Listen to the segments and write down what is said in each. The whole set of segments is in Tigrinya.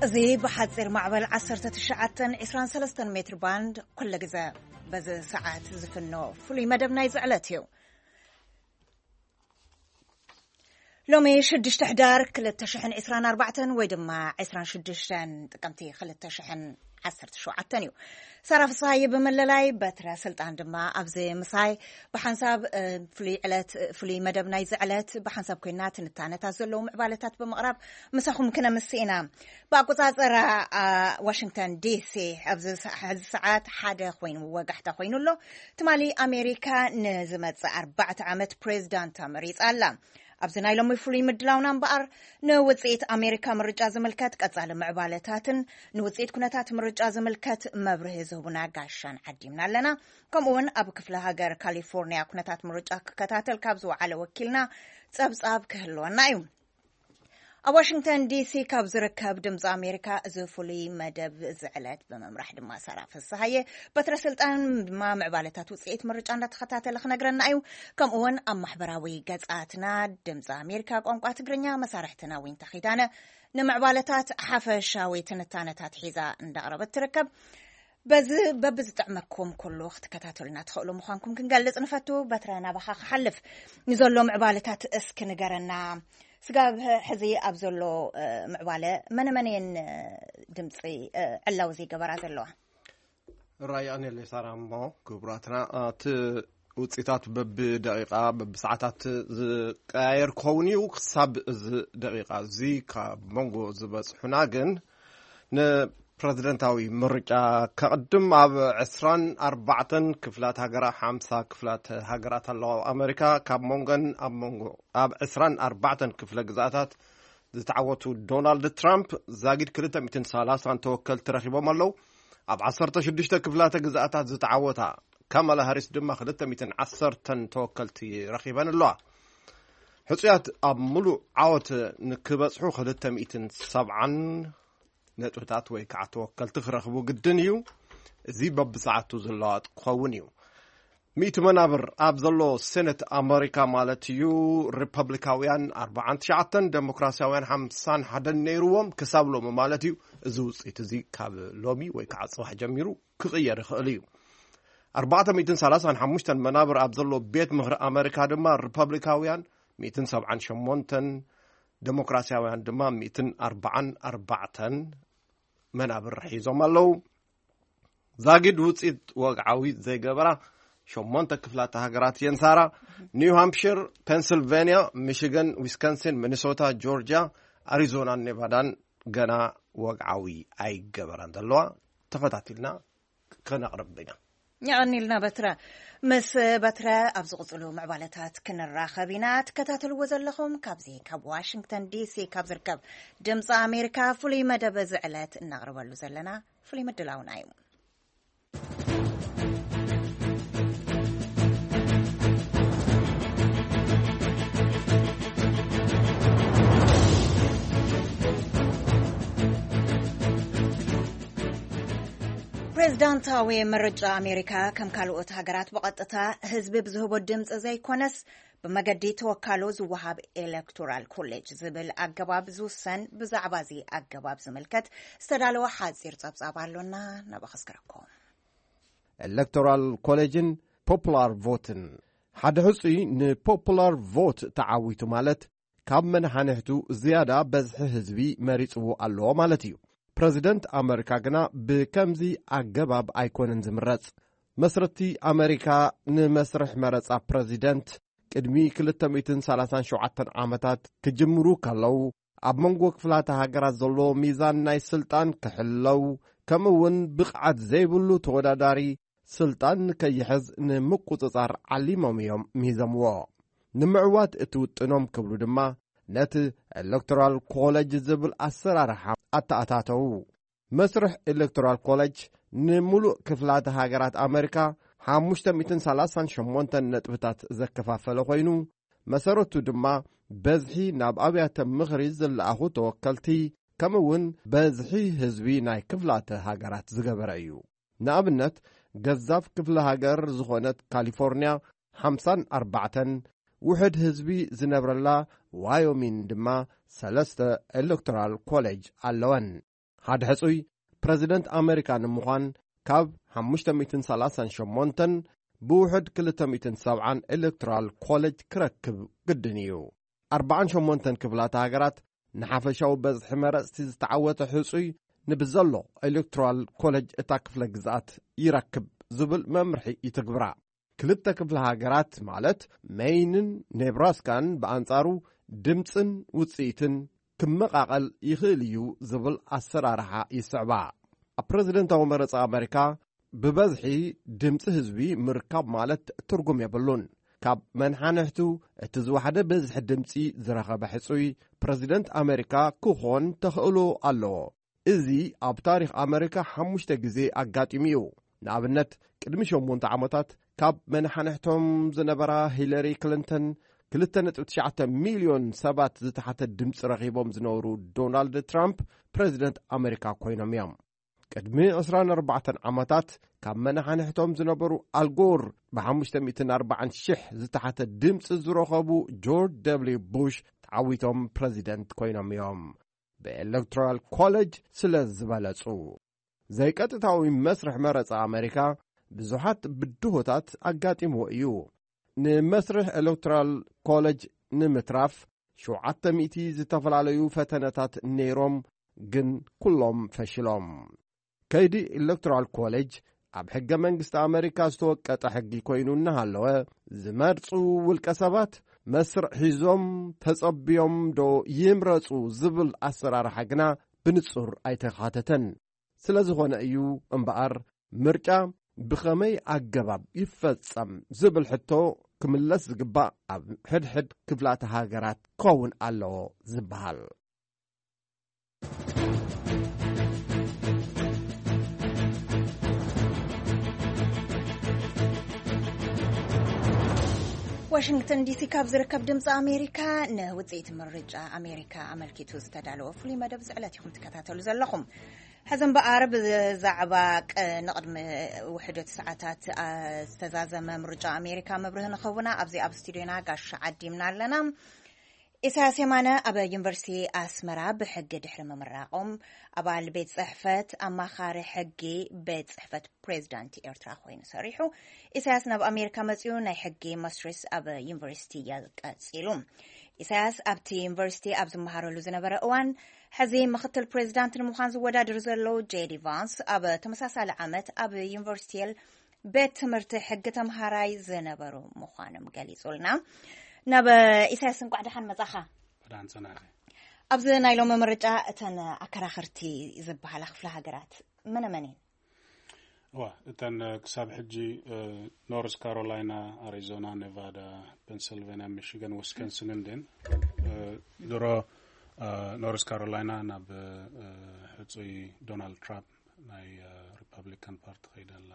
እዚ ብሓፂር ማዕበል ዓሰርተ ትሽዓተ ዕስራን ሰለስተን ሜትር ባንድ ኩሉ ግዜ በዚ ሰዓት ዝፍኖ ፍሉይ መደብ ናይ ዝዕለት እዩ። ሎሚ ሽዱሽተ ሕዳር ክልተ ሽሕን ዕስራን ኣርባዕተን ወይ ድማ ዕስራን ሽዱሽተን ጥቅምቲ ክልተ ሽሕን ዓሰርተ ሸውዓተን እዩ። ሳራ ፍስሃየ ብምልላይ፣ በትረ ስልጣን ድማ ኣብዚ ምሳይ ብሓንሳብ፣ እ፣ ፍሉይ ዕለት፣ ፍሉይ መደብ ናይዚ ዕለት ብሓንሳብ ኮይና ትንታነታት ዘለዉ ምዕባለታት ብምቕራብ ምሳኹም ክነምስ ኢና። ብኣቆጻጽራ፣ አ፣ ዋሽንግተን ዲሲ ኣብዚ ሰ-፣ ሕዚ ሰዓት ሓደ ኮይኑ ወጋሕታ ኮይኑ ኣሎ። ትማሊ ኣሜሪካ ንዝመጽእ ኣርባዕተ ዓመት ፕሬዚዳንት ተመሪጻ ኣላ። ኣብዚ ናይ ሎሚ ፍሉይ ምድላውና እምበኣር፣ ንውጽኢት ኣሜሪካ ምርጫ ዝምልከት ቀጻሊ ምዕባለታትን ንውጽኢት ኩነታት ምርጫ ዝምልከት መብርሂ ዝህቡና ጋሻን ዓዲምና ኣለና። ከምኡ እውን ኣብ ክፍለ ሃገር ካሊፎርኒያ ኩነታት ምርጫ ክከታተል ካብ ዝወዓለ ወኪልና ጸብጻብ ክህልወና እዩ። ኣብ ዋሽንግተን ዲሲ ካብ ዝርከብ ድምፂ ኣሜሪካ እዚ ፍሉይ መደብ ዝዕለት ብምምራሕ ድማ ሳራ ፍስሃየ፣ በትረ ስልጣን ድማ ምዕባለታት ውፅኢት ምርጫ እንዳተኸታተለ ክነግረና እዩ። ከምኡ እውን ኣብ ማሕበራዊ ገፃትና ድምፂ ኣሜሪካ ቋንቋ ትግርኛ መሳርሕትና ዊንታ ኪዳነ ንምዕባለታት ሓፈሻዊ ትንታነታት ሒዛ እንዳቕረበት ትርከብ። በዚ በብዝጥዕመኩም ኩሉ ክትከታተሉና ትኽእሉ ምዃንኩም ክንገልጽ ንፈቱ። በትረ ናባኻ ክሓልፍ ንዘሎ ምዕባለታት እስኪ ንገረና። ስጋብ ሕዚ ኣብ ዘሎ፣ እ፣ ምዕባለ መነ መን እየን፣ እ፣ ድምፂ፣ እ፣ ዕላዊ ዘይገበራ ዘለዋ? ራይ ኣኔል ሳራ እሞ ክቡራትና፣ እቲ ውፅኢታት በብደቂቃ በብሰዓታት ዝቀያየር ክኸውን እዩ። ክሳብ እዚ ደቂቃ እዚ ካብ መንጎ ዝበፅሑና ግን ንፕረዚደንታዊ ምርጫ ከቕድም ኣብ ዕስራን ኣርባዕተን ክፍላት ሃገራ፣ ሓምሳ ክፍላት ሃገራት ኣለዋ ኣብ ኣሜሪካ። ካብ መንጎን ኣብ መንጎ ኣብ ዕስራን ኣርባዕተን ክፍለ ግዛታት ዝተዓወቱ ዶናልድ ትራምፕ ዛጊድ ክልተ ሚእትን ሰላሳን ተወከልቲ ረኺቦም ኣለዉ። ኣብ ዓሰርተ ሽዱሽተ ክፍላተ ግዛኣታት ዝተዓወታ ካማላ ሃሪስ ድማ ክልተ ሚእትን ዓሰርተን ተወከልቲ ረኺበን ኣለዋ። ሕጹያት ኣብ ምሉእ ዓወት ንክበጽሑ ክልተ ሚእትን ሰብዓን ነጥብታት ወይ ከዓ ተወከልቲ ክረኽቡ ግድን እዩ። እዚ በብሰዓቱ ዝለዋጥ ክኸውን እዩ። ሚእቲ መናብር ኣብ ዘሎ ሴኔት ኣመሪካ ማለት እዩ፣ ሪፐብሊካውያን ኣርባዓን ትሽዓተን፣ ዴሞክራሲያውያን ሓምሳን ሓደን ነይርዎም ክሳብ ሎሚ ማለት እዩ። እዚ ውፅኢት እዚ ካብ ሎሚ ወይ ከዓ ፅባሕ ጀሚሩ ክቕየር ይኽእል እዩ። ኣርባዕተ ሚእትን ሰላሳን ሓሙሽተን መናብር ኣብ ዘሎ ቤት ምኽሪ ኣመሪካ ድማ ሪፐብሊካውያን ሚእትን ሰብዓን ሸሞንተን፣ ዴሞክራሲያውያን ድማ ሚእትን ኣርባዓን ኣርባዕተን መናብር ሒዞም ኣለዉ። ዛጊድ ውፅኢት ወግዓዊ ዘይገበራ ሸሞንተ ክፍላተ ሃገራት እየን ሳራ። ኒው ሃምፕሽር፣ ፔንስልቬንያ፣ ሚሽገን፣ ዊስኮንሲን፣ ሚኒሶታ፣ ጆርጂያ፣ ኣሪዞናን ኔቫዳን ገና ወግዓዊ ኣይገበራን ዘለዋ። ተኸታቲልና ከነቕርብ ኢና። የቐኒልና በትረ። ምስ በትረ ኣብ ዝቕፅሉ ምዕባለታት ክንራኸብ ኢና። ትከታተልዎ ዘለኹም ካብዚ ካብ ዋሽንግተን ዲሲ ካብ ዝርከብ ድምፂ ኣሜሪካ ፍሉይ መደብ እዚ ዕለት እናቕርበሉ ዘለና ፍሉይ ምድላውና እዩ። ፕሬዝዳንታዊ ምርጫ ኣሜሪካ ከም ካልኦት ሃገራት ብቐጥታ ህዝቢ ብዝህቦ ድምፂ ዘይኮነስ ብመገዲ ተወካሎ ዝወሃብ ኤሌክቶራል ኮሌጅ ዝብል ኣገባብ ዝውሰን። ብዛዕባ እዚ ኣገባብ ዝምልከት ዝተዳለወ ሓፂር ፀብፃብ ኣሎና፣ ናብ ኣኸስክረኩም። ኤሌክቶራል ኮሌጅን ፖፑላር ቮትን። ሓደ ሕጹይ ንፖፑላር ቮት ተዓዊቱ ማለት ካብ መናሓንሕቱ ዝያዳ በዝሒ ህዝቢ መሪጽዎ ኣለዎ ማለት እዩ። ፕረዚደንት ኣመሪካ ግና ብከምዚ ኣገባብ ኣይኮነን ዝምረጽ። መስረቲ ኣመሪካ ንመስርሕ መረጻ ፕረዚደንት ቅድሚ ክልተ ሚእትን ሰላሳን ሸውዓተን ዓመታት ክጅምሩ ከለዉ፣ ኣብ መንጎ ክፍላተ ሃገራት ዘሎ ሚዛን ናይ ስልጣን ክሕለው፣ ከምኡ እውን ብቕዓት ዘይብሉ ተወዳዳሪ ስልጣን ንከይሕዝ ንምቁጽጻር ዓሊሞም እዮም ሚዘምዎ። ንምዕዋት እቲ ውጥኖም ክብሉ ድማ ነቲ ኤሌክቶራል ኮሌጅ ዝብል ኣሰራርሓ ኣተኣታተዉ። መስርሕ ኤሌክቶራል ኮሌጅ ንምሉእ ክፍላተ ሃገራት ኣመሪካ ሓሙሽተ ሚእትን ሰላሳን ሸሞንተን ነጥብታት ዘከፋፈለ ኮይኑ፣ መሰረቱ ድማ በዝሒ ናብ ኣብያተ ምኽሪ ዝለኣኹ ተወከልቲ፣ ከምኡ እውን በዝሒ ህዝቢ ናይ ክፍላተ ሃገራት ዝገበረ እዩ። ንኣብነት፣ ገዛፍ ክፍለ ሃገር ዝኾነት ካሊፎርንያ ሓምሳን ኣርባዕተን፣ ውሕድ ህዝቢ ዝነብረላ ዋዮሚን ድማ ሰለስተ ኤሌክቶራል ኮሌጅ ኣለወን። ሓደ ሕጹይ ፕረዚደንት ኣመሪካ ንምዃን ካብ ሓሙሽተ ሚእትን ሰላሳን ሸሞንተን ብውሕድ ክልተ ሚእትን ሰብዓን ኤሌክቶራል ኮሌጅ ክረክብ ግድን እዩ። ኣርባዓን ሸሞንተን ክፍላተ ሃገራት ንሓፈሻዊ በዝሒ መረጽቲ ዝተዓወተ ሕጹይ ንብዘሎ ኤሌክቶራል ኮሌጅ እታ ክፍለ ግዝኣት ይረክብ ዝብል መምርሒ ይትግብራ። ክልተ ክፍለ ሃገራት ማለት ሜይንን ኔብራስካን ብኣንጻሩ ድምጽን ውጽኢትን ክመቓቐል ይኽእል እዩ ዝብል ኣሰራርሓ ይስዕባ። ኣብ ፕረዚደንታዊ መረጻ ኣመሪካ ብበዝሒ ድምጺ ህዝቢ ምርካብ ማለት ትርጉም የብሉን። ካብ መንሓንሕቱ እቲ ዝወሓደ ብዝሒ ድምጺ ዝረኸበ ሕጹይ ፕረዚደንት ኣመሪካ ክኾን ተኽእሎ ኣለዎ። እዚ ኣብ ታሪኽ ኣመሪካ ሓሙሽተ ግዜ ኣጋጢሙ እዩ። ንኣብነት ቅድሚ ሸሞንተ ዓመታት ካብ መንሓንሕቶም ዝነበራ ሂለሪ ክሊንተን ክልተ ነጥቢ ትሽዓተ ሚልዮን ሰባት ዝተሓተ ድምፂ ረኺቦም ዝነበሩ ዶናልድ ትራምፕ ፕረዚደንት ኣመሪካ ኮይኖም እዮም። ቅድሚ ዕስራን ኣርባዕተን ዓመታት ካብ መናሓንሕቶም ዝነበሩ ኣልጎር ብ ሓሙሽተ ሚእትን ኣርባዓን ሽሕ ዝተሓተ ድምፂ ዝረኸቡ ጆርጅ ደብልዩ ቡሽ ተዓዊቶም ፕረዚደንት ኮይኖም እዮም። ብኤሌክቶራል ኮሌጅ ስለ ዝበለጹ ዘይቀጥታዊ መስርሕ መረጻ ኣመሪካ ብዙሓት ብድሆታት ኣጋጢምዎ እዩ። ንመስርሕ ኤሌክቶራል ኮሌጅ ንምትራፍ ሸውዓተ ሚእቲ ዝተፈላለዩ ፈተነታት ነይሮም፣ ግን ኩሎም ፈሽሎም። ከይዲ ኤሌክቶራል ኮሌጅ ኣብ ሕገ መንግስቲ ኣመሪካ ዝተወቀጠ ሕጊ ኮይኑ እናሃለወ፣ ዝመርጹ ውልቀ ሰባት መስርዕ ሒዞም ተጸብዮም ዶ ይምረጹ ዝብል ኣሰራርሓ ግና ብንጹር ኣይተኻተተን። ስለ ዝኾነ እዩ እምበኣር ምርጫ ብኸመይ ኣገባብ ይፈጸም ዝብል ሕቶ ክምለስ ዝግባእ ኣብ ሕድሕድ ክፍላተ ሃገራት ክኸውን ኣለዎ ዝበሃል። ዋሽንግተን ዲሲ ካብ ዝርከብ ድምፂ ኣሜሪካ ንውፅኢት ምርጫ ኣሜሪካ ኣመልኪቱ ዝተዳለወ ፍሉይ መደብ ዝዕለት ኢኹም ትከታተሉ ዘለኹም። ሕዚ እምበኣር ብዛዕባ ቅ- ንቕድሚ ውሕደት ሰዓታት ኣ- ዝተዛዘመ ምርጫ ኣሜሪካ መብርህ ንኸውና ኣብዚ ኣብ ስቱዲዮና ጋሻ ዓዲምና ኣለና። ኢሳያስ የማነ ኣብ ዩኒቨርሲቲ ኣስመራ ብሕጊ ድሕሪ ምምራቖም ኣባል ቤት ጽሕፈት ኣማኻሪ ሕጊ ቤት ጽሕፈት ፕሬዚዳንት ኤርትራ ኮይኑ ሰሪሑ። ኢሳያስ ናብ ኣሜሪካ መጺኡ ናይ ሕጊ ማስትርስ ኣብ ዩኒቨርሲቲ እያ ቀጺሉ። ኢሳያስ ኣብቲ ዩኒቨርሲቲ ኣብ ዝመሃረሉ ዝነበረ እዋን ሕዚ ምኽትል ፕሬዚዳንት ንምዃን ዝወዳድር ዘሎ ጄዲ ቫንስ ኣብ ተመሳሳሊ ዓመት ኣብ ዩኒቨርሲቲ ቤት ትምህርቲ ሕጊ ተምሃራይ ዝነበሩ ምዃኖም ገሊጹልና። ናብ ኢሳያስ እንቋዕ ደሓን መጻኻ። ደሓን ጸናኺ። ኣብዚ ናይ ሎሚ ምርጫ እተን ኣከራኸርቲ ዝበሃላ ክፍለ ሃገራት መነ መን እየን? እዋ እተን ክሳብ ሕጂ ኖርዝ ካሮላይና፣ ኣሪዞና፣ ኔቫዳ፣ ፔንስልቬንያ፣ ሚሽገን፣ ዊስኮንስንን ደን ድሮ ኖርዝ ካሮላይና ናብ ሕፁይ ዶናልድ ትራምፕ ናይ ሪፐብሊካን ፓርቲ ከይዳ ኣላ።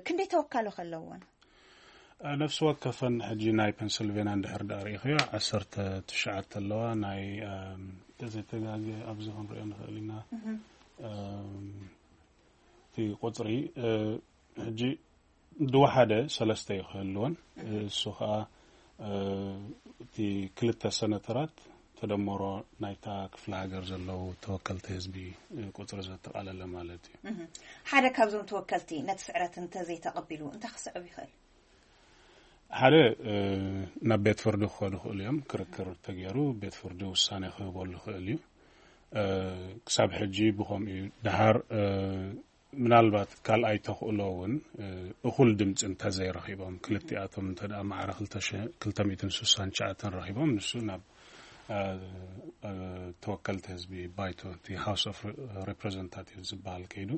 ክንደይ ተወካሎ ከለዎን? ነፍሲ ወከፈን ሕጂ ናይ ፔንስልቬንያ እንድሕር ዳ ርኢኽዮ ዓሰርተ ትሽዓተ ኣለዋ። ናይ ተዘይተጋገ ኣብዚ ክንሪኦ ንኽእል ኢና። እቲ ቁፅሪ ሕጂ ድወሓደ ሰለስተ እዩ ክህልወን። እሱ ከዓ እቲ ክልተ ሰነተራት ተደመሮ ናይታ ክፍለ ሃገር ዘለዉ ተወከልቲ ህዝቢ ቁፅሪ ዘጠቓለለ ማለት እዩ። ሓደ ካብዞም ተወከልቲ ነቲ ስዕረት እንተዘይተቐቢሉ እንታይ ክስዕብ ይኽእል? ሓደ ናብ ቤት ፍርዲ ክኸዱ ይኽእሉ እዮም። ክርክር ተገይሩ ቤት ፍርዲ ውሳኔ ክህበሉ ይኽእል እዩ። ክሳብ ሕጂ ብኸምኡ እዩ። ደሓር ምናልባት ካልኣይ ተኽእሎ እውን እኹል ድምፂ እንተዘይረኺቦም፣ ክልቲኣቶም እንተ ደኣ ማዕረ ክልተ ሚእትን ስሳን ትሽዓተን ረኺቦም፣ ንሱ ናብ ተወከልቲ ህዝቢ ባይቶ፣ እቲ ሃውስ ኦፍ ሪፕሬዘንታቲቭ ዝበሃል ከይዱ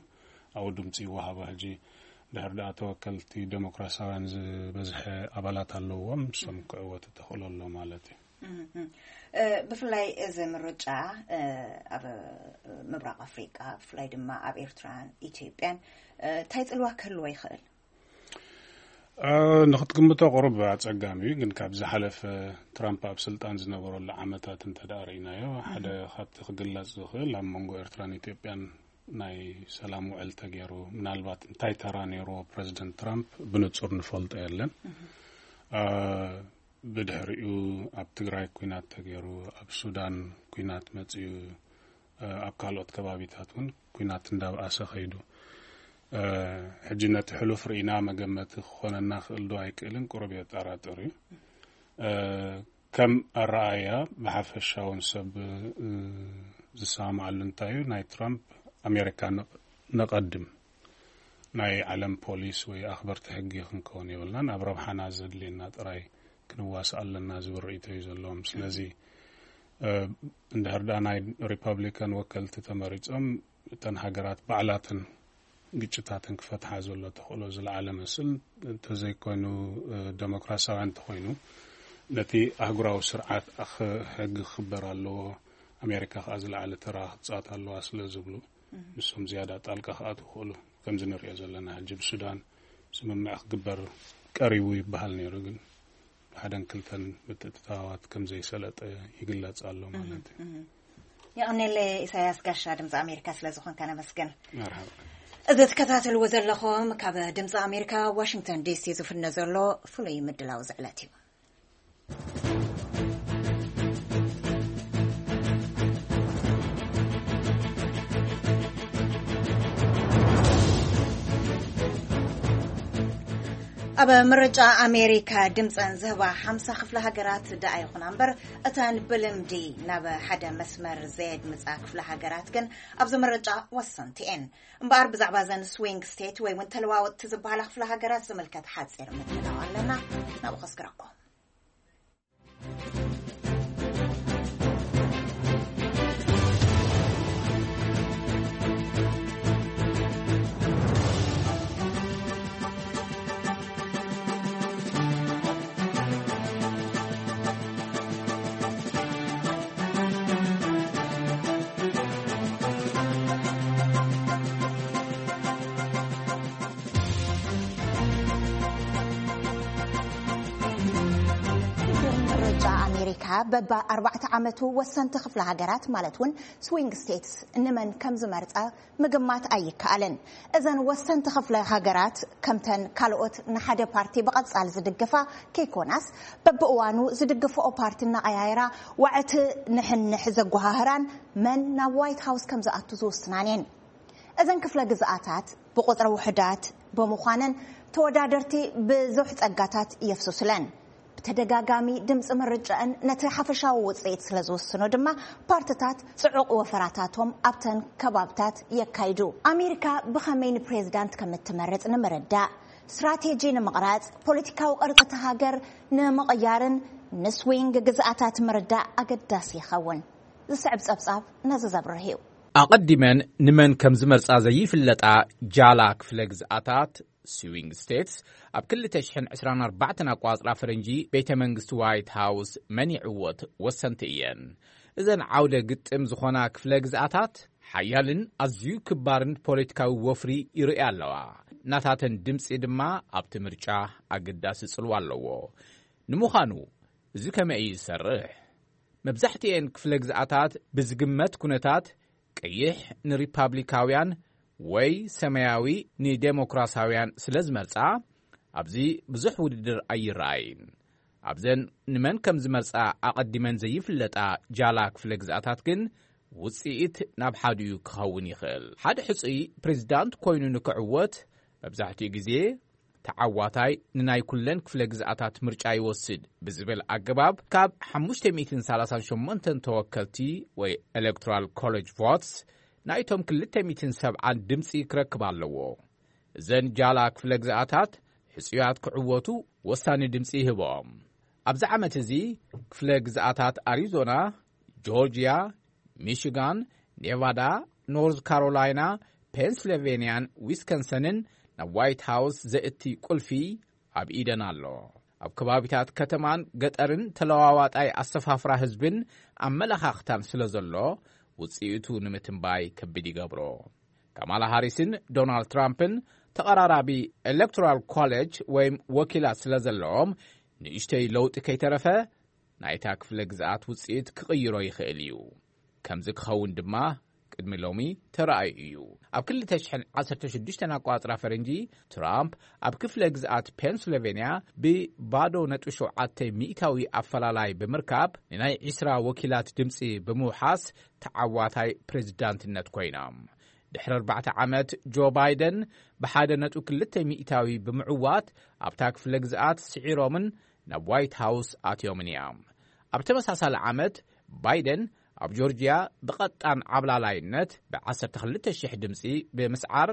ኣብኡ ድምፂ ይወሃቦ። ሕጂ ድሕር ደኣ ተወከልቲ ዴሞክራሲያውያን ዝበዝሐ ኣባላት ኣለዎም፣ ንሶም ክዕወቱ ተኽእሎ ኣሎ ማለት እዩ። ብፍላይ እዚ ምርጫ ኣብ ምብራቕ ኣፍሪቃ፣ ብፍላይ ድማ ኣብ ኤርትራን ኢትዮጵያን እንታይ ጽልዋ ክህልዎ ይኽእል? ንክትግምቶ ቁሩብ ኣጸጋሚ እዩ፣ ግን ካብ ዝሓለፈ ትራምፕ ኣብ ስልጣን ዝነበረሉ ዓመታት እንተ ደኣ ርኢናዮ፣ ሓደ ካብቲ ክግለጽ ዝኽእል ኣብ መንጎ ኤርትራን ኢትዮጵያን ናይ ሰላም ውዕል ተገይሩ፣ ምናልባት እንታይ ተራ ነይርዎ ፕረዚደንት ትራምፕ ብንጹር ንፈልጦ የለን። ብድሕሪኡ ኣብ ትግራይ ኲናት ተገይሩ፣ ኣብ ሱዳን ኲናት መጺኡ፣ ኣብ ካልኦት ከባቢታት እውን ኲናት እንዳብኣሰ ከይዱ። ሕጂ ነቲ ሕሉፍ ርኢና መገመቲ ክኾነና ክእል ዶ ኣይክእልን ቁሩብ የጠራጥር እዩ። ከም ኣረኣእያ ብሓፈሻውን ሰብ ዝሰማማዓሉ እንታይ እዩ፣ ናይ ትራምፕ ኣሜሪካ ነቐድም፣ ናይ ዓለም ፖሊስ ወይ ኣኽበርቲ ሕጊ ክንከውን የብልናን። ኣብ ረብሓና ዘድልየና ጥራይ ክንዋስ ኣለና ዝብል ርእይቶ እዩ ዘለዎም። ስለዚ እንድሕር ደኣ ናይ ሪፓብሊካን ወከልቲ ተመሪጾም፣ እተን ሃገራት ባዕላተን ግጭታተን ክፈትሓ ዘሎ ተኽእሎ ዝለዓለ መስል እንተዘይኮይኑ፣ ደሞክራሲያውያን እንተኾይኑ፣ ነቲ ኣህጉራዊ ስርዓት ሕጊ ክኽበር ኣለዎ፣ ኣሜሪካ ከዓ ዝለዓለ ተራ ክትፃወት ኣለዋ ስለ ዝብሉ፣ ንሶም ዝያዳ ጣልቃ ክኣትዉ ይኽእሉ። ከምዚ ንሪኦ ዘለና ሕጂ ብሱዳን ስምምዕ ክግበር ቀሪቡ ይበሃል ነይሩ፣ ግን ብሓደን ክልተን ምትእትታዋት ከም ዘይሰለጠ ይግለጽ ኣሎ ማለት እዩ። የቐኔለ ኢሳያስ ጋሻ ድምፂ ኣሜሪካ ስለ ዝኾንካ ነመስግን። መርሓባ። እዚ ትከታተልዎ ዘለኹም ካብ ድምፂ ኣሜሪካ ዋሽንግተን ዲሲ ዝፍነ ዘሎ ፍሉይ ምድላው ዝዕለት እዩ። ኣብ ምርጫ ኣሜሪካ ድምፀን ዝህባ ሓምሳ ክፍለ ሃገራት ደኣ ይኹና እምበር፣ እተን ብልምዲ ናብ ሓደ መስመር ዘየድምፃ ክፍለ ሃገራት ግን ኣብዚ ምርጫ ወሰንቲ እየን። እምበኣር ብዛዕባ ዘን ስዊንግ ስቴት ወይ እውን ተለዋወጥቲ ዝበሃላ ክፍለ ሃገራት ዝምልከት ሓፂር ምድላው ኣለና። ናብኡ ከስግረኩም። ምርጫ ኣሜሪካ በባ ኣርባዕተ ዓመቱ ወሰንቲ ክፍለ ሃገራት ማለት እውን ስዊንግ ስቴትስ ንመን ከም ዝመርፃ ምግማት ኣይከኣልን። እዘን ወሰንቲ ክፍለ ሃገራት ከምተን ካልኦት ንሓደ ፓርቲ ብቐፃል ዝድግፋ ከይኮናስ፣ በብእዋኑ ዝድግፍኦ ፓርቲ እናቐያየራ ዋዕቲ ንሕንሕ ዘጓሃህራን መን ናብ ዋይት ሃውስ ከም ዝኣቱ ዝውስናን እየን። እዘን ክፍለ ግዝኣታት ብቁፅሪ ውሑዳት ብምዃነን ተወዳደርቲ ብዙሕ ፀጋታት የፍስሱለን። ብተደጋጋሚ ድምፂ ምርጫእን ነቲ ሓፈሻዊ ውፅኢት ስለ ዝውስኖ ድማ ፓርትታት ፅዑቕ ወፈራታቶም ኣብተን ከባብታት የካይዱ። ኣሜሪካ ብኸመይ ንፕሬዝዳንት ከም እትመርፅ ንምርዳእ፣ ስትራቴጂ ንምቕራፅ፣ ፖለቲካዊ ቅርፂ እቲ ሃገር ንምቕያርን ንስዊንግ ግዝኣታት ምርዳእ ኣገዳሲ ይኸውን። ዝስዕብ ፀብፃብ ነዚ ዘብርህ እዩ። ኣቐዲመን ንመን ከም ዝመርጻ ዘይፍለጣ ጃላ ክፍለ ግዝኣታት፣ ስዊንግ ስቴትስ፣ ኣብ ክልተ ሽሕን ዕስራን ኣርባዕተን ኣቋጽራ ፈረንጂ ቤተ መንግስቲ ዋይት ሃውስ መን ይዕወት ወሰንቲ እየን። እዘን ዓውደ ግጥም ዝኾና ክፍለ ግዝኣታት ሓያልን ኣዝዩ ክባርን ፖለቲካዊ ወፍሪ ይርእያ ኣለዋ። ናታተን ድምጺ ድማ ኣብቲ ምርጫ ኣገዳሲ ጽልዋ ኣለዎ። ንምዃኑ እዚ ከመይ እዩ ዝሰርሕ? መብዛሕትኤን ክፍለ ግዝኣታት ብዝግመት ኩነታት ቀይሕ ንሪፓብሊካውያን ወይ ሰማያዊ ንዴሞክራሳውያን ስለ ዝመርጻ ኣብዚ ብዙሕ ውድድር ኣይረኣይን። ኣብዘን ንመን ከም ዝመርጻ ኣቐዲመን ዘይፍለጣ ጃላ ክፍለ ግዝኣታት ግን ውጽኢት ናብ ሓዲኡ ክኸውን ይኽእል። ሓደ ሕጹይ ፕሬዚዳንት ኮይኑ ንክዕወት መብዛሕትኡ ግዜ ተዓዋታይ ንናይ ኩለን ክፍለ ግዝኣታት ምርጫ ይወስድ ብዝብል ኣገባብ ካብ ሓሙሽተ ሚእትን ሰላሳን ሸሞንተን ተወከልቲ ወይ ኤሌክቶራል ኮሌጅ ቮትስ ናይቶም ክልተ ሚእትን ሰብዓን ድምፂ ክረክብ ኣለዎ። እዘን ጃላ ክፍለ ግዝኣታት ሕፁያት ክዕወቱ ወሳኒ ድምፂ ይህቦም። ኣብዚ ዓመት እዚ ክፍለ ግዝኣታት ኣሪዞና፣ ጆርጅያ፣ ሚሽጋን፣ ኔቫዳ፣ ኖርዝ ካሮላይና፣ ፔንስልቬንያን ዊስከንሰንን ናብ ዋይት ሃውስ ዘእቲ ቁልፊ ኣብ ኢደን ኣሎ። ኣብ ከባቢታት ከተማን ገጠርን ተለዋዋጣይ ኣሰፋፍራ ህዝብን ኣመለኻኽታን ስለ ዘሎ ውፅኢቱ ንምትንባይ ከቢድ ይገብሮ። ካማላ ሃሪስን ዶናልድ ትራምፕን ተቐራራቢ ኤሌክቶራል ኮሌጅ ወይም ወኪላት ስለ ዘለዎም ንእሽተይ ለውጢ ከይተረፈ ናይታ ክፍለ ግዝኣት ውፅኢት ክቕይሮ ይኽእል እዩ። ከምዚ ክኸውን ድማ ቅድሚ ሎሚ ተራእዩ እዩ። ኣብ ክልተ ሽሕን ዓሰርተ ሽዱሽተን ኣቋጽራ ፈረንጂ፣ ትራምፕ ኣብ ክፍለ ግዝኣት ፔንስልቬንያ ብባዶ ነጥቢ ሸውዓተ ሚእታዊ ኣፈላላይ ብምርካብ፣ ንናይ ዒስራ ወኪላት ድምጺ ብምውሓስ ተዓዋታይ ፕሬዝዳንትነት ኮይና። ድሕሪ ኣርባዕተ ዓመት፣ ጆ ባይደን ብሓደ ነጥቢ ክልተ ሚእታዊ ብምዕዋት፣ ኣብታ ክፍለ ግዝኣት ስዒሮምን ናብ ዋይት ሃውስ ኣትዮምን እያ። ኣብ ተመሳሳሊ ዓመት፣ ባይደን ኣብ ጆርጅያ ብቐጣን ዓብላላይነት ብ ዓሰርተ ክልተ ሽሕ ድምጺ ብምስዓር፣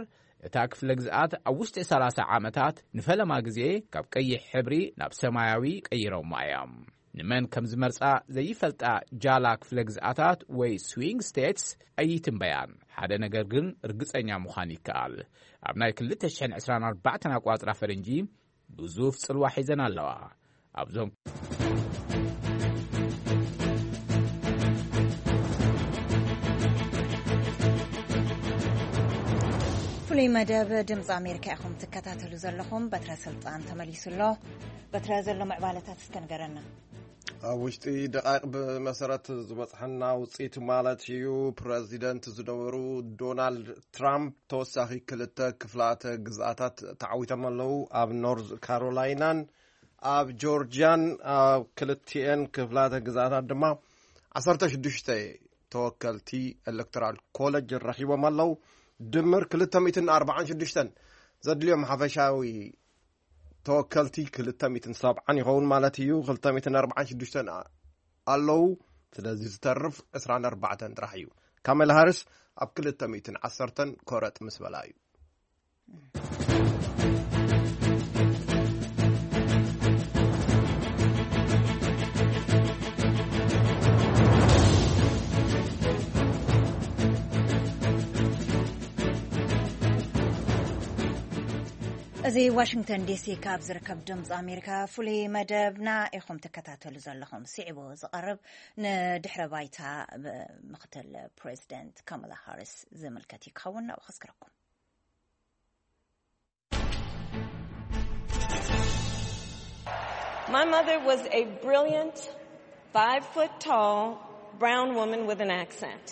እታ ክፍለ ግዝኣት ኣብ ውሽጢ ሰላሳ ዓመታት ንፈለማ ግዜ ካብ ቀይሕ ሕብሪ ናብ ሰማያዊ ቀይሮማ እዮም። ንመን ከም ዝመርጻ ዘይፈልጣ ጃላ ክፍለ ግዝኣታት ወይ ስዊንግ ስቴትስ ኣይትንበያን። ሓደ ነገር ግን ርግጸኛ ምዃን ይከኣል። ኣብ ናይ ክልተ ሽሕን ዕስራን ኣርባዕተን ኣቋጽራ ፈረንጂ ግዙፍ ጽልዋ ሒዘን ኣለዋ። ኣብዞም ፍሉይ መደብ ድምፂ ኣሜሪካ ኢኹም ትከታተሉ ዘለኹም። በትረ ስልጣን ተመሊሱ ኣሎ። በትረ፣ ዘሎ ምዕባለታት እስከ ንገረና። ኣብ ውሽጢ ደቃይቕ ብመሰረት ዝበፅሐና ውፅኢት ማለት እዩ፣ ፕረዚደንት ዝነበሩ ዶናልድ ትራምፕ ተወሳኺ ክልተ ክፍላተ ግዝኣታት ተዓዊቶም ኣለዉ። ኣብ ኖርዝ ካሮላይናን ኣብ ጆርጅያን፣ ኣብ ክልቲኤን ክፍላተ ግዝኣታት ድማ ዓሰርተ ሽዱሽተ ተወከልቲ ኤሌክቶራል ኮለጅ ረኺቦም ኣለዉ። ድምር ክልተ ሚእትን ኣርባዓን ሽዱሽተን ዘድልዮም ሓፈሻዊ ተወከልቲ ክልተ ሚእትን ሰብዓን ይኸውን ማለት እዩ። ክልተ ሚእትን ኣርባዓን ሽዱሽተን ኣለዉ። ስለዚ ዝተርፍ ዕስራን ኣርባዕተን ጥራሕ እዩ። ካሜላ ሃሪስ ኣብ ክልተ ሚእትን ዓሰርተን ኮረጥ ምስ በላ እዩ። እዚ ዋሽንግተን ዲሲ ካብ ዝርከብ ድምፂ ኣሜሪካ ፍሉይ መደብና ኢኹም ትከታተሉ ዘለኹም። ስዒቡ ዝቐርብ ንድሕረ ባይታ ምክትል ፕሬዚደንት ካማላ ሃሪስ ዝምልከት እዩ ክኸውን። ናብኡ ከስክረኩም። My mother was a brilliant, five foot tall, brown woman with an accent.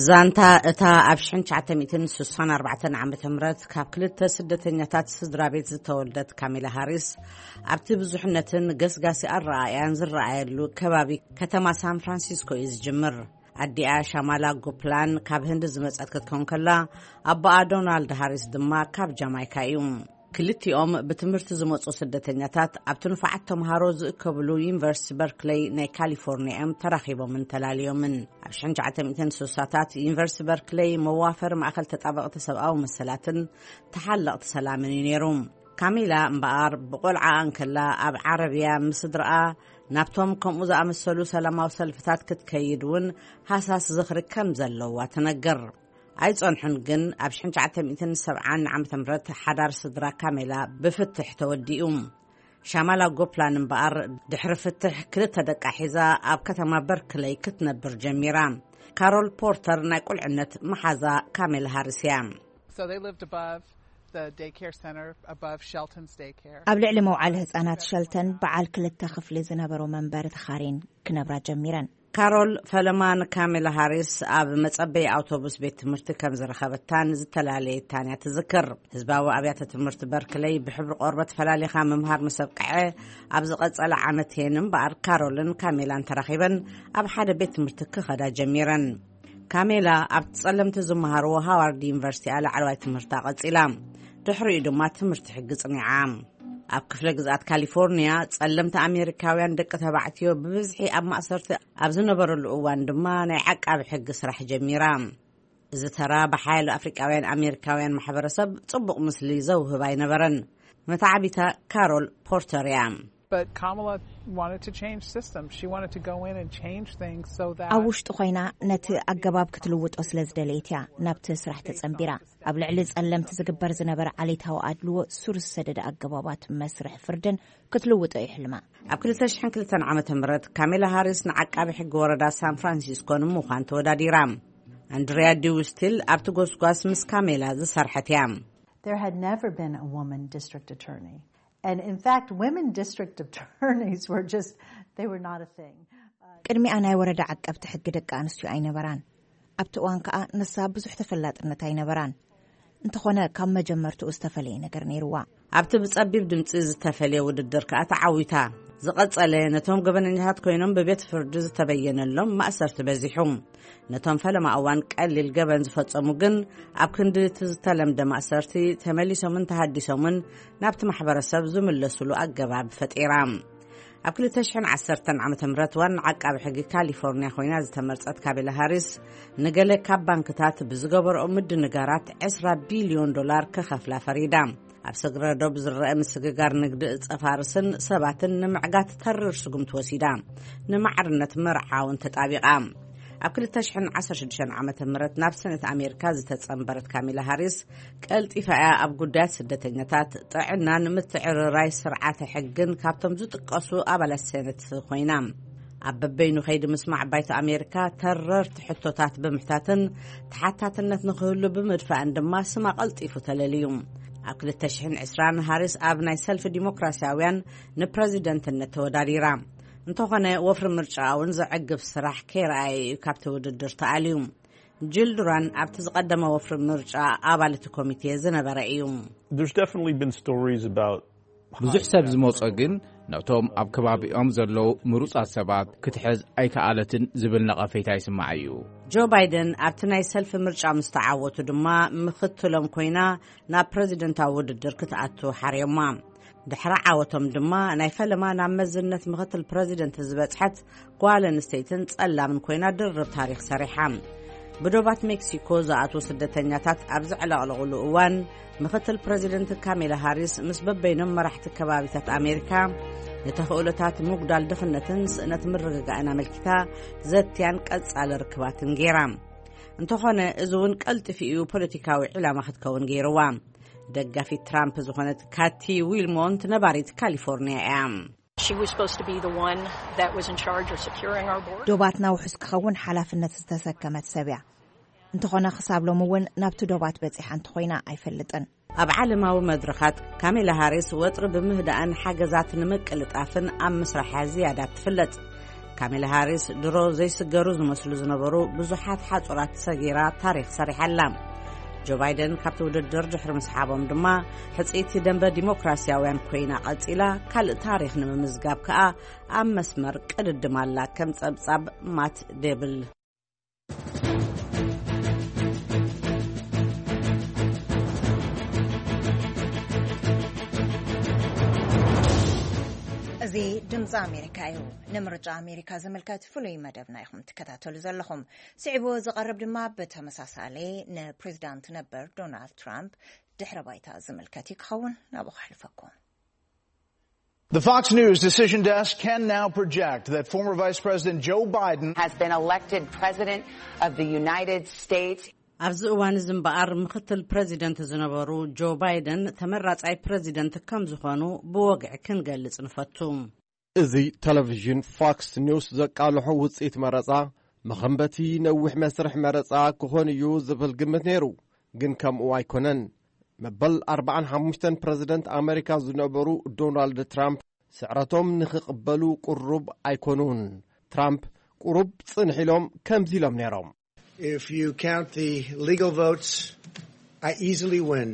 ዛንታ እታ ኣብ ሽሕን ትሽዓተ ሚእትን ስሳን ኣርባዕተን ዓመተ ምህረት ካብ ክልተ ስደተኛታት ስድራ ቤት ዝተወልደት ካሚላ ሃሪስ፣ ኣብቲ ብዙሕነትን ገስጋሲ ኣረኣእያን ዝረኣየሉ ከባቢ ከተማ ሳን ፍራንሲስኮ እዩ ዝጅምር። ኣዲኣ ሻማላ ጎፕላን ካብ ህንዲ ዝመጸት ክትከውን ከላ፣ ኣቦኣ ዶናልድ ሃሪስ ድማ ካብ ጃማይካ እዩ። ክልቲኦም ብትምህርቲ ዝመጹ ስደተኛታት ኣብቲ ንፉዓት ተምሃሮ ዝእከብሉ ዩኒቨርሲቲ በርክለይ ናይ ካሊፎርኒያ እዮም ተራኺቦምን ተላልዮምን። ኣብ ሽሕን ትሽዓተ ሚእትን ስሳታት ዩኒቨርሲቲ በርክለይ መዋፈሪ ማእከል ተጣበቕቲ ሰብኣዊ መሰላትን ተሓለቕቲ ሰላምን እዩ ነይሩ። ካሚላ እምበኣር ብቆልዓኣ እንከላ ኣብ ዓረብያ ምስ ስድራኣ ናብቶም ከምኡ ዝኣመሰሉ ሰላማዊ ሰልፍታት ክትከይድ እውን ሃሳስ ዝኽሪ ከም ዘለዋ ትነግር። ኣይጸንሑን ግን ኣብ ሽሕን ትሽዓተ ሚእትን ሰብዓን ዓመተ ምህረት ሓዳር ስድራ ካሜላ ብፍትሕ ተወዲኡ። ሻማላ ጎፕላን እምበኣር ድሕሪ ፍትሕ ክልተ ደቃ ሒዛ ኣብ ከተማ በርክለይ ክትነብር ጀሚራ። ካሮል ፖርተር ናይ ቁልዕነት መሓዛ ካሜላ ሃሪስ እያ። So they lived above the daycare center, above Shelton's daycare. ኣብ ልዕሊ መውዓሊ ህጻናት ሸልተን በዓል ክልተ ክፍሊ ዝነበሮ መንበሪ ተኻርየን ክነብራ ጀሚረን። ካሮል ፈለማ ንካሜላ ሃሪስ ኣብ መጸበዪ ኣውቶቡስ ቤት ትምህርቲ ከም ዝረኸበታን ዝተላለየታን እያ ትዝክር። ህዝባዊ ኣብያተ ትምህርቲ በርክለይ ብሕብሪ ቆርበት ፈላሊኻ ምምሃር ምስ ኣብቅዐ፣ ኣብ ዝቐጸለ ዓመት እየን እምበኣር ካሮልን ካሜላን ተራኺበን ኣብ ሓደ ቤት ትምህርቲ ክኸዳ ጀሚረን። ካሜላ ኣብቲ ጸለምቲ ዝመሃርዎ ሃዋርድ ዩኒቨርሲቲ እያ ላዕለዋይ ትምህርታ ቀጺላ። ድሕሪኡ ድማ ትምህርቲ ሕጊ ጽኒዓ። ኣብ ክፍለ ግዝኣት ካሊፎርኒያ፣ ጸለምቲ ኣሜሪካውያን ደቂ ተባዕትዮ ብብዝሒ ኣብ ማእሰርቲ ኣብ ዝነበረሉ እዋን ድማ ናይ ዓቃቢ ሕጊ ስራሕ ጀሚራ። እዚ ተራ ብሓያሎ ኣፍሪቃውያን ኣሜሪካውያን ማሕበረሰብ ጽቡቕ ምስሊ ዘውህብ ኣይነበረን። መተዓቢታ ካሮል ፖርተር እያ። But Kamala wanted to change systems. She wanted to go in and change things so that ኣብ ውሽጢ ኮይና ነቲ ኣገባብ ክትልውጦ ስለ ዝደለየት እያ ናብቲ ስራሕ ተጸንቢራ። ኣብ ልዕሊ ጸለምቲ ዝግበር ዝነበረ ዓሌታዊ ኣድልዎ፣ ሱር ዝሰደደ ኣገባባት መስርሕ ፍርድን ክትልውጦ እዩ ሕልማ። ኣብ ክልተ ሽሕን ክልተን ዓመተ ምህረት ካሜላ ሃሪስ ንዓቃቢ ሕጊ ወረዳ ሳን ፍራንሲስኮ ንምዃን ተወዳዲራ። ኣንድሪያ ዲውስቲል ኣብቲ ጎስጓስ ምስ ካሜላ ዝሰርሐት እያ። There had never been a woman district attorney. And in fact, women district attorneys were just, they were not a thing. ቅድሚኣ ናይ ወረዳ ዓቀብቲ ሕጊ ደቂ ኣንስትዮ ኣይነበራን። ኣብቲ እዋን ከኣ ንሳ ብዙሕ ተፈላጥነት ኣይነበራን። እንተኾነ ካብ መጀመርትኡ ዝተፈለየ ነገር ነይርዋ። ኣብቲ ብጸቢብ ድምጺ ዝተፈልየ ውድድር ከኣ ተዓዊታ። ዝቐጸለ ነቶም ገበነኛታት ኮይኖም ብቤት ፍርዲ ዝተበየነሎም ማእሰርቲ በዚሑ። ነቶም ፈለማ እዋን ቀሊል ገበን ዝፈጸሙ ግን ኣብ ክንዲ እቲ ዝተለምደ ማእሰርቲ ተመሊሶምን ተሃዲሶምን ናብቲ ማሕበረሰብ ዝምለሱሉ ኣገባብ ፈጢራ። ኣብ ክልተ ሽሕን ዓሰርተን ዓመተ ምህረት ዋና ዓቃቢ ሕጊ ካሊፎርኒያ ኮይና ዝተመርጸት ካሜላ ሃሪስ ንገለ ካብ ባንክታት ብዝገበረኦ ምድንጋራት ዕስራ ቢልዮን ዶላር ክኸፍላ ፈሪዳ። ኣብ ስግረ ዶብ ዝረአ ምስግጋር ንግዲ እጸ ፋርስን ሰባትን ንምዕጋት ተርር ስጉምቲ ወሲዳ። ንማዕርነት መርዓ እውን ተጣቢቓ። ኣብ ክልተ ሽሕን ዓሰርተ ሽዱሽተን ዓመተ ምህረት ናብ ሰነት ኣሜሪካ ዝተጸንበረት ካሚላ ሃሪስ ቀልጢፋ እያ ኣብ ጉዳያት ስደተኛታት፣ ጥዕናን ምትዕርራይ ስርዓተ ሕግን ካብቶም ዝጥቀሱ ኣባላት ሰነት ኮይና። ኣብ በበይኑ ከይዲ ምስማዕ ባይቶ ኣሜሪካ ተረርቲ ሕቶታት ብምሕታትን ተሓታትነት ንክህሉ ብምድፋእን ድማ ስማ ቀልጢፉ ተለልዩ። ኣብ ክልተ ሽሕን ዕስራን ሃሪስ ኣብ ናይ ሰልፊ ዲሞክራሲያውያን ንፕረዚደንትነት ተወዳዲራ። እንተኾነ ወፍሪ ምርጫ እውን ዘዕግብ ስራሕ ከይረኣየ እዩ ካብቲ ውድድር ተኣልዩ። ጅል ዱራን ኣብቲ ዝቐደመ ወፍሪ ምርጫ ኣባል እቲ ኮሚቴ ዝነበረ እዩ። There's definitely been stories about ብዙሕ ሰብ ዝመጾ ግን ነቶም ኣብ ከባቢኦም ዘለዉ ምሩጻት ሰባት ክትሕዝ ኣይከኣለትን ዝብል ነቐፌታ ይስማዕ እዩ። ጆ ባይደን ኣብቲ ናይ ሰልፊ ምርጫ ምስ ተዓወቱ ድማ ምኽትሎም ኮይና ናብ ፕረዚደንታዊ ውድድር ክትኣቱ ሓርዮማ። ድሕሪ ዓወቶም ድማ ናይ ፈለማ ናብ መዝነት ምኽትል ፕረዚደንት ዝበጽሐት ጓል ኣንስተይትን ጸላምን ኮይና ድርብ ታሪኽ ሰሪሓ። ብዶባት ሜክሲኮ ዝኣትዉ ስደተኛታት ኣብ ዘዕለቕለቑሉ እዋን ምኽትል ፕረዚደንት ካሜላ ሃሪስ ምስ በበይኖም መራሕቲ ከባቢታት ኣሜሪካ ንተኽእሎታት ምጉዳል ድኽነትን ስእነት ምርግጋእን ኣመልኪታ ዘትያን ቀጻሊ ርክባትን ገይራ። እንተኾነ እዚ እውን ቀልጢፉ እዩ ፖለቲካዊ ዕላማ ክትከውን ገይርዋ። ደጋፊት ትራምፕ ዝኾነት ካቲ ዊልሞንት ነባሪት ካሊፎርኒያ እያ። She was supposed to be the one that was in charge of securing our border. ዶባትና ውሑስ ክኸውን ሓላፍነት ዝተሰከመት ሰብ እያ። እንተኾነ ክሳብ ሎሚ እውን ናብቲ ዶባት በጺሓ እንተኾይና ኣይፈልጥን። ኣብ ዓለማዊ መድረኻት ካሜላ ሃሪስ ወጥሪ ብምህዳእን ሓገዛት ንምቅልጣፍን ኣብ ምስራሓ ዝያዳ ትፍለጥ። ካሜላ ሃሪስ ድሮ ዘይስገሩ ዝመስሉ ዝነበሩ ብዙሓት ሓጹራት ሰጊራ ታሪኽ ሰሪሓ ኣላ። ጆ ባይደን ካብቲ ውድድር ድሕሪ ምስሓቦም ድማ ሕጽይቲ ደንበ ዲሞክራሲያውያን ኮይና ቀጺላ፣ ካልእ ታሪኽ ንምምዝጋብ ከኣ ኣብ መስመር ቅድድም ኣላ። ከም ጸብጻብ ማት ዴብል። እዚ ድምፂ ኣሜሪካ እዩ። ንምርጫ ኣሜሪካ ዝምልከት ፍሉይ መደብና ኢኹም ትከታተሉ ዘለኹም። ስዒቡ ዝቐርብ ድማ ብተመሳሳሊ ንፕሬዚዳንት ነበር ዶናልድ ትራምፕ ድሕረ ባይታ ዝምልከት እዩ ክኸውን። ናብኡ ከሕልፈኩም። The Fox News decision desk can now project that former Vice President Joe Biden has been elected President of the United States. ኣብዚ እዋን እዚ እምበኣር ምኽትል ፕረዚደንት ዝነበሩ ጆ ባይደን ተመራጻይ ፕረዚደንት ከም ዝኾኑ ብወግዒ ክንገልጽ ንፈቱ። እዚ ቴሌቪዥን ፎክስ ኒውስ ዘቃልሖ ውጽኢት መረጻ፣ መኸንበቲ ነዊሕ መስርሕ መረጻ ክኾን እዩ ዝብል ግምት ነይሩ። ግን ከምኡ ኣይኮነን። መበል ኣርባዓን ሓሙሽተን ፕረዚደንት ኣመሪካ ዝነበሩ ዶናልድ ትራምፕ ስዕረቶም ንኽቕበሉ ቅሩብ ኣይኮኑን። ትራምፕ ቁሩብ ጽንሕ ኢሎም ከምዚ ኢሎም ነይሮም። If you count the legal votes, I easily win.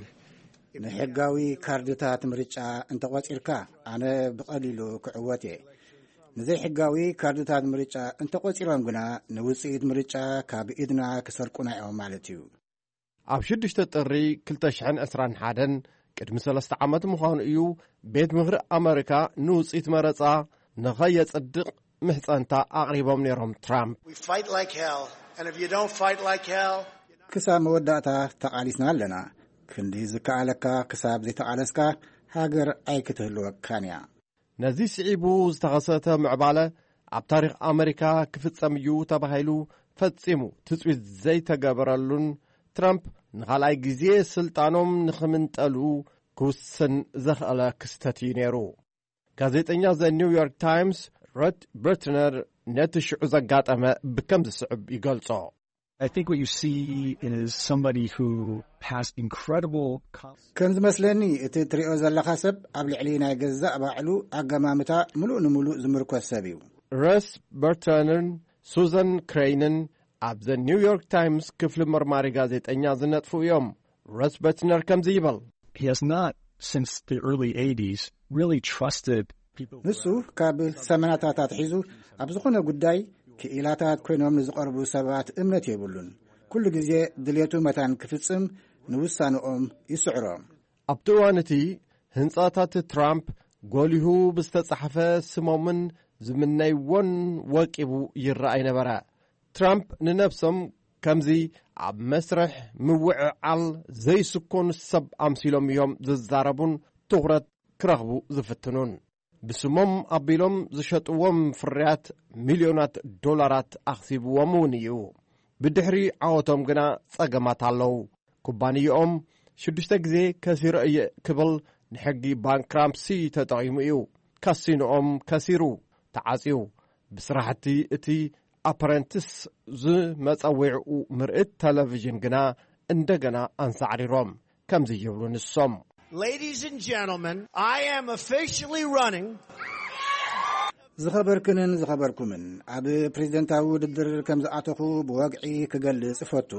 ንሕጋዊ ካርድታት ምርጫ እንተቖጺርካ፣ ኣነ ብቐሊሉ ክዕወት እየ። ንዘይሕጋዊ ካርድታት ምርጫ እንተቖጺሮም ግና፣ ንውጽኢት ምርጫ ካብ ኢድና ክሰርቁና እዮም ማለት እዩ። ኣብ ሽዱሽተ ጥሪ ክልተ ሽሕን ዕስራን ሓደን፣ ቅድሚ ሰለስተ ዓመት ምዃኑ እዩ፣ ቤት ምኽሪ ኣመሪካ ንውጽኢት መረጻ ንኸየጽድቕ ምሕጸንታ ኣቕሪቦም ነይሮም ትራምፕ። We fight like hell, and if you don't fight like hell, ክሳብ መወዳእታ ተቓሊስና ኣለና። ክንዲ ዝከኣለካ ክሳብ ዘይተቓለስካ፣ ሃገር ኣይክትህልወካን እያ። ነዚ ስዒቡ ዝተኸሰተ ምዕባለ ኣብ ታሪኽ ኣመሪካ ክፍጸም እዩ ተባሂሉ ፈጺሙ ትጽቢት ዘይተገበረሉን፣ ትራምፕ ንኻልኣይ ግዜ ስልጣኖም ንኽምንጠሉ ክውስን ዘኽኣለ ክስተት እዩ ነይሩ። ጋዜጠኛ ዘ ኒውዮርክ ታይምስ ሮት በርትነር ነቲ ሽዑ ዘጋጠመ ብከም ዝስዕብ ይገልጾ። I think what you see is somebody who has incredible com- ከም ዝመስለኒ፣ እቲ እትሪኦ ዘለኻ ሰብ ኣብ ልዕሊ ናይ ገዛእ ባዕሉ ኣገማምታ ምሉእ ንምሉእ ዝምርኮስ ሰብ እዩ። ረስ በርትረንን ሱዘን ክሬይንን ኣብ ዘ ኒውዮርክ ታይምስ ክፍሊ መርማሪ ጋዜጠኛ ዝነጥፉ እዮም። ሮስ በትነር ከምዚ ይበል። He has not, since the early eighties, really trusted people who ንሱ ካብ ሰመናታት ኣትሒዙ ኣብ ዝኾነ ጉዳይ ክኢላታት ኮይኖም ንዝቐርቡ ሰባት እምነት የብሉን። ኩሉ ግዜ ድሌቱ መታን ክፍጽም ንውሳንኦም ይስዕሮ። ኣብቲ እዋን እቲ ህንጻታት ትራምፕ ጎሊሁ ብዝተጻሕፈ ስሞምን ዝምነይዎን ወቂቡ ይረኣይ ነበረ። ትራምፕ ንነብሶም ከምዚ ኣብ መስርሕ ምውዕዓል ዘይስኮኑ ሰብ ኣምሲሎም እዮም ዝዛረቡን ትኹረት ክረኽቡ ዝፍትኑን። ብስሞም ኣቢሎም ዝሸጥዎም ፍርያት ሚልዮናት ዶላራት ኣኽሲብዎም እውን እዩ። ብድሕሪ ዓወቶም ግና ጸገማት ኣለዉ። ኩባንያኦም ሽዱሽተ ግዜ ከሲረ እየ ክብል ንሕጊ ባንክራፕሲ ተጠቒሙ እዩ። ካሲኖኦም ከሲሩ፣ ተዓጽዩ። ብስራሕቲ እቲ ኣፕረንትስ ዝመጸዊዕኡ ምርኢት ቴሌቪዥን ግና እንደገና ኣንሳዕሪሮም። ከምዚ ይብሉ ንሶም። Ladies and gentlemen, I am officially running. ዝኸበርክንን ዝኸበርኩምን፣ ኣብ ፕሬዝደንታዊ ውድድር ከም ዝኣተኹ ብወግዒ ክገልጽ እፈቱ።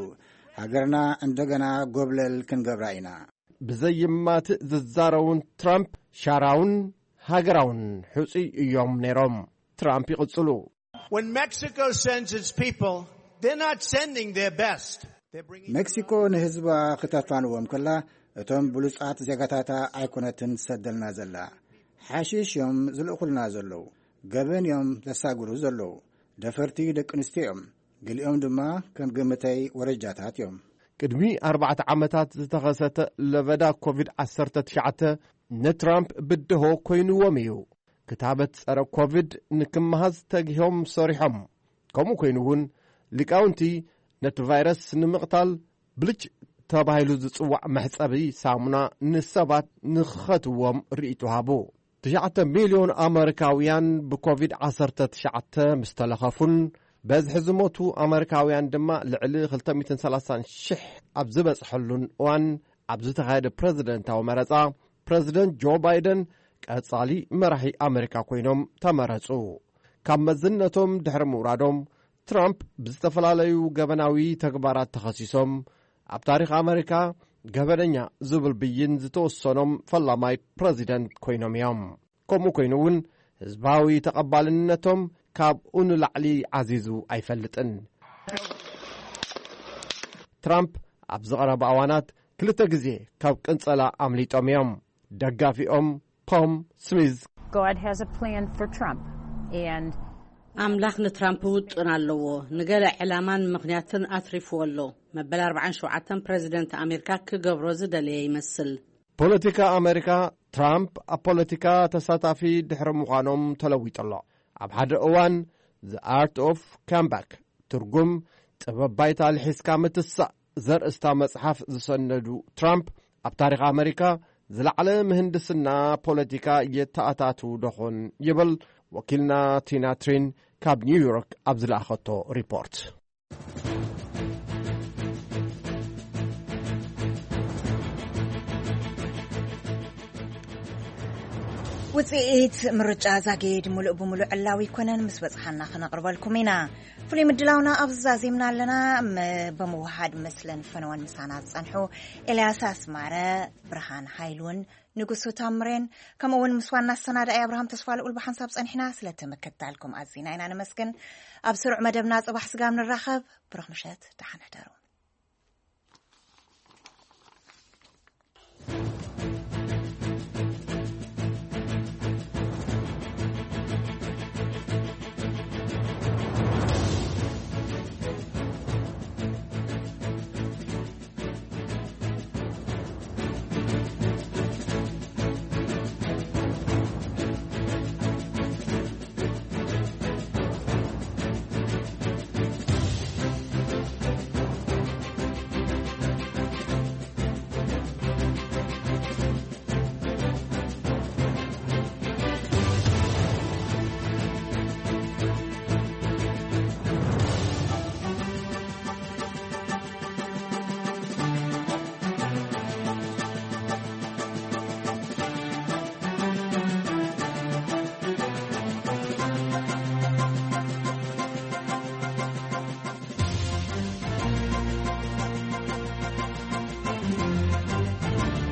ሃገርና እንደገና ጎብለል ክንገብራ ኢና። ብዘይማትእ ዝዛረቡን ትራምፕ ሻራውን ሃገራውን ሕጹይ እዮም ነይሮም። ትራምፕ ይቕጽሉ። When Mexico sends its people, they're not sending their best. They're bringing ሜክሲኮ ንህዝባ ክተፋንዎም ከላ፣ እቶም ብሉጻት ዜጋታታ ኣይኮነትን ትሰደልና ዘላ። ሓሺሽ እዮም ዝልእኹልና ዘለዉ። ገበን እዮም ዘሳግሩ ዘለዉ። ደፈርቲ ደቂ ኣንስትዮ እዮም። ገሊኦም ድማ ከም ግምተይ ወረጃታት እዮም። ቅድሚ ኣርባዕተ ዓመታት ዝተኸሰተ ለበዳ ኮቪድ ዓሰርተ ትሽዓተ ንትራምፕ ብድሆ ኮይንዎም እዩ። ክታበት ጸረ ኮቪድ ንክመሃዝ ተጊሆም ሰሪሖም። ከምኡ ኮይኑ እውን ሊቃውንቲ ነቲ ቫይረስ ንምቕታል ብልጭ ተባሂሉ ዝጽዋዕ መሕጸቢ ሳሙና ንሰባት ንኽኸትዎም ርእይቶ ሃቡ። ትሽዓተ ሚልዮን ኣመሪካውያን ብኮቪድ ዓሰርተ ትሽዓተ ምስ ተለኸፉን በዝሒ ዝሞቱ ኣመሪካውያን ድማ ልዕሊ ክልተ ሚእትን ሰላሳን ሽሕ ኣብ ዝበጽሐሉን እዋን፣ ኣብ ዝተኻየደ ፕረዚደንታዊ መረጻ፣ ፕረዚደንት ጆ ባይደን ቀጻሊ መራሒ ኣመሪካ ኮይኖም ተመረጹ። ካብ መዝነቶም ድሕሪ ምውራዶም፣ ትራምፕ ብዝተፈላለዩ ገበናዊ ተግባራት ተኸሲሶም፣ ኣብ ታሪኽ ኣመሪካ ገበነኛ ዝብል ብይን ዝተወሰኖም ፈላማይ ፕረዚደንት ኮይኖም እዮም። ከምኡ ኮይኑ እውን፣ ህዝባዊ ተቐባልነቶም ካብኡ ንላዕሊ ዓዚዙ ኣይፈልጥን። ትራምፕ ኣብ ዝቐረባ እዋናት ክልተ ግዜ ካብ ቅንጸላ ኣምሊጦም እዮም። ደጋፊኦም ቶም ስሚዝ God has a plan for Trump, and ኣምላኽ ንትራምፕ ውጥን ኣለዎ። ንገለ ዕላማን ምኽንያትን ኣትሪፍዎ ኣሎ። መበል ኣርባዓን ሸውዓተን ፕረዚደንት ኣሜሪካ ክገብሮ ዝደለየ ይመስል። ፖለቲካ ኣሜሪካ፣ ትራምፕ ኣብ ፖለቲካ ተሳታፊ ድሕሪ ምዃኖም ተለዊጡ ኣሎ። ኣብ ሓደ እዋን The Art of Comeback፣ ትርጉም ጥበብ ባይታ ልሒስካ ምትሳእ ዘርእስታ መጽሓፍ ዝሰነዱ ትራምፕ፣ ኣብ ታሪኽ ኣመሪካ ዝለዓለ ምህንድስና ፖለቲካ የተኣታቱ ደኾን ይብል ወኪልና ቲና ትሪን ካብ ኒውዮርክ ኣብ ዝለኣኸቶ ሪፖርት። ውፅኢት ምርጫ ዛጊድ ሙሉእ ብሙሉእ ዕላዊ ኣይኮነን፣ ምስ በፅሓና ክነቕርበልኩም ኢና። ፍሉይ ምድላውና ኣብዚ ዛዚምና ኣለና። ም- ብምውሃድ ምስለን ፈነወን ምሳና ዝፀንሑ ኤልያስ ኣስማረ፣ ብርሃን ሃይሉን ንጉሱ ታምሬን፣ ከምኡ እውን ምስ ዋና ኣሰናዳኢ ኣብርሃም ተስፋ ልኡል ብሓንሳብ ፀኒሕና። ስለቲ ምክትታልኩም ኣዚና ኢና ነመስግን። ኣብ ስሩዕ መደብና ፅባሕ ስጋብ ንራኸብ። ብሩኽ ምሸት፣ ደሓን ሕደሩ።